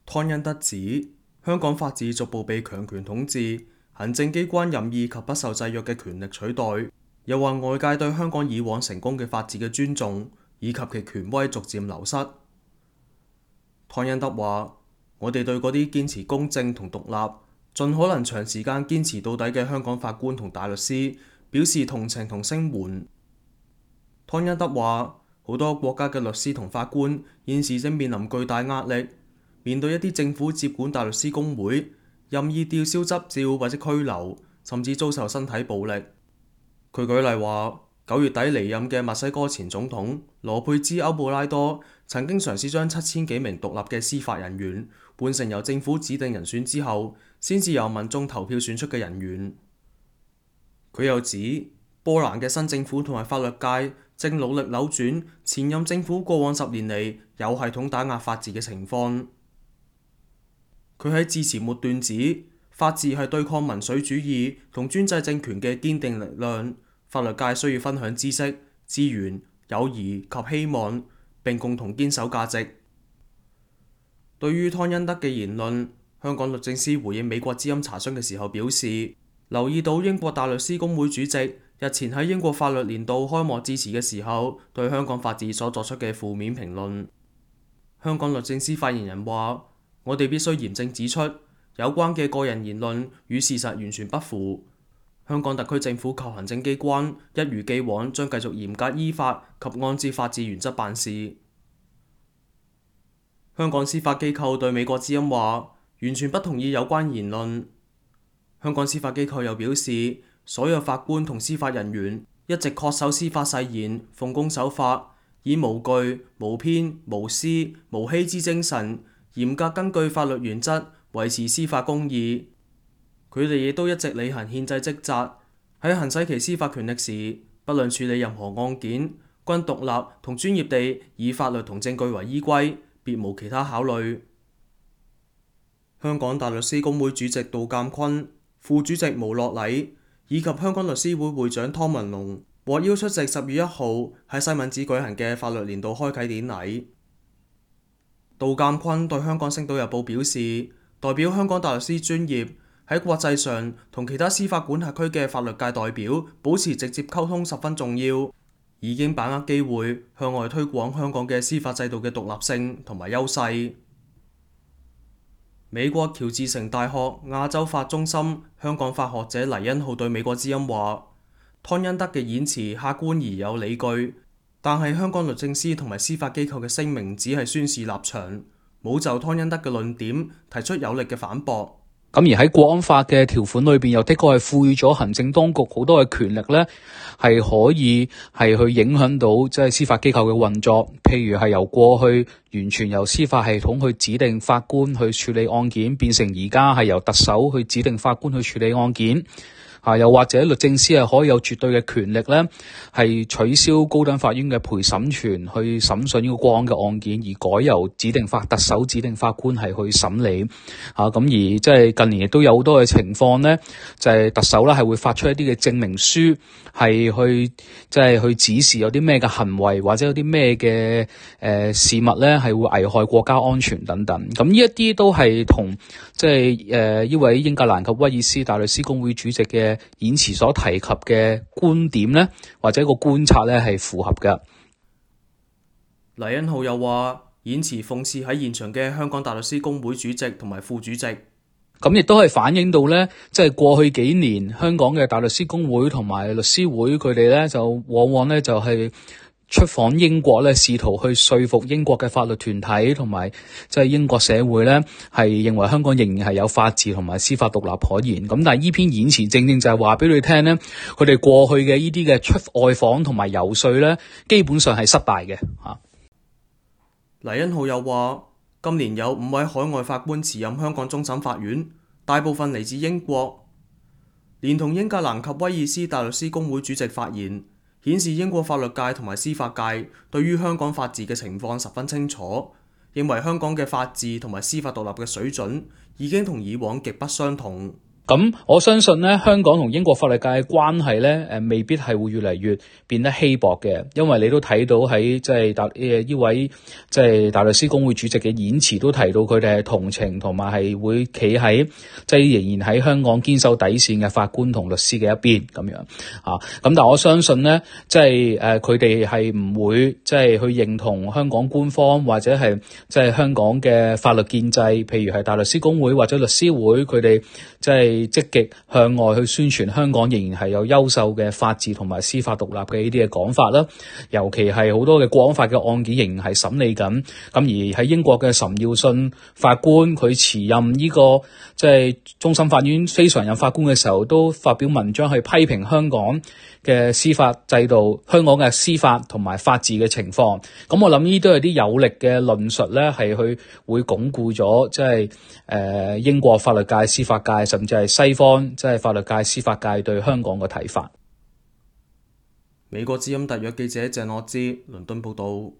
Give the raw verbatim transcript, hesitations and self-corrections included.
湯恩德指，香港法治逐步被強權統治，行政機關任意及不受制約嘅權力取代，又話外界對香港以往成功嘅法治嘅尊重，以及其權威逐漸流失。湯恩德話：我哋對嗰啲堅持公正同獨立，盡可能長時間堅持到底嘅香港法官同大律師表示同情同聲援。湯恩德話：好多國家嘅律師同法官現時正面臨巨大壓力，面對一啲政府接管大律師公會，任意吊銷執照或者拘留，甚至遭受身體暴力。佢舉例話，九月底離任嘅墨西哥前總統羅佩茲歐布拉多曾經嘗試將七千幾名獨立嘅司法人員換成由政府指定人選之後先至由民眾投票選出嘅人員。佢又指，波蘭嘅新政府同埋法律界正努力扭轉前任政府過往十年嚟有系統打壓法治嘅情況。佢喺致辭末段指，法治係對抗民粹主義同專制政權嘅堅定力量，法律界需要分享知識、資源、友誼及希望，並共同堅守價值。對於湯恩德嘅言論，香港律政司回應美國之音查詢嘅時候表示，留意到英國大律師公會主席日前喺英國法律年度開幕致辭嘅時候，對香港法治所作出嘅負面評論。香港律政司發言人話：我哋必須嚴正指出，有關嘅個人言論與事實完全不符。香港特區政府及行政機關一如既往將繼續嚴格依法及按照法治原則辦事。香港司法機構對美國之音話，完全不同意有關言論。香港司法機構又表示，所有法官同司法人員一直恪守司法誓言，奉公守法，以無懼、無偏、無私、無欺之精神，嚴格根據法律原則維持司法公義。佢哋亦都一直履行憲制職責，喺行使其司法權力時，不論處理任何案件，均獨立同專業地以法律同證據為依歸，別無其他考慮。香港大律師公會主席杜鑑坤、副主席毛樂禮以及香港律師會會長湯文龍獲邀出席十月一號喺西敏寺舉行嘅法律年度開啟典禮。杜鑑坤對香港星島日報表示，代表香港大律師專業喺國際上同其他司法管轄區嘅法律界代表保持直接溝通十分重要，已經把握機會向外推廣香港嘅司法制度嘅獨立性同埋優勢。美國喬治城大學亞洲法中心香港法學者黎恩浩對美國之音話：湯恩德嘅演辭客觀而有理據，但係香港律政司同埋司法機構嘅聲明只係宣示立場，冇就湯恩德嘅論點提出有力嘅反駁。咁而喺國安法嘅條款裏邊，又的確係賦予咗行政當局好多嘅權力咧，係可以係去影響到即係司法機構嘅運作。譬如係由過去完全由司法系統去指定法官去處理案件，變成而家係由特首去指定法官去處理案件。啊，又或者律政司係可以有絕對嘅權力咧，係取消高等法院嘅陪審權去審訊呢個國安嘅案件，而改由指定法特首指定法官係去審理。啊，咁而即係近年亦都有好多嘅情況咧，就係、是、特首咧係會發出一啲嘅證明書，係去即係、就是、去指示有啲咩嘅行為或者有啲咩嘅誒事物咧係會危害國家安全等等。咁呢一啲都係同即係誒呢位英格蘭及威爾斯大律師公會主席嘅演辭所提及嘅觀點呢，或者個觀察呢係符合嘅。黎恩浩又話，演辭諷刺喺現場嘅香港大律師公會主席同埋副主席，咁亦都係反映到呢，即係過去幾年香港嘅大律師公會同埋律師會，佢哋呢就往往呢就係出訪英國咧，試圖去說服英國嘅法律團體同埋即係英國社會咧，係認為香港仍然係有法治同埋司法獨立可言。咁但係呢篇演辭正正就係話俾你聽咧，佢哋過去嘅呢啲嘅出外訪同埋游說咧，基本上係失敗嘅嚇。黎恩浩又話，今年有五位海外法官辭任香港終審法院，大部分嚟自英國，連同英格蘭及威爾斯大律師公會主席發言，顯示英國法律界同埋司法界對於香港法治嘅情況十分清楚，認為香港嘅法治同埋司法獨立嘅水準已經同以往極不相同。咁我相信咧，香港同英國法律界嘅關係咧，誒未必係會越嚟越變得稀薄嘅，因為你都睇到喺即係大誒呢位即係大律師公會主席嘅演辭都提到佢哋係同情同埋係會企喺即係仍然喺香港堅守底線嘅法官同律師嘅一邊咁樣啊。咁但係我相信咧，即係誒佢哋係唔會即係去認同香港官方或者係即係香港嘅法律建制，譬如係大律師公會或者律師會，佢哋即係積極向外去宣傳香港仍然係有優秀嘅法治同埋司法獨立嘅呢啲嘅講法啦。尤其係好多嘅國安法嘅案件仍然係審理緊，咁而喺英國嘅岑耀信法官佢辭任呢個即係終審法院非常任法官嘅時候，都發表文章去批評香港嘅司法制度、香港嘅司法同埋法治嘅情況。咁我諗呢都係啲有力嘅論述咧，係去會鞏固咗即係誒英國法律界、司法界，甚至係西方即係法律界、司法界對香港嘅睇法。美國之音特約記者鄭樂之倫敦報道。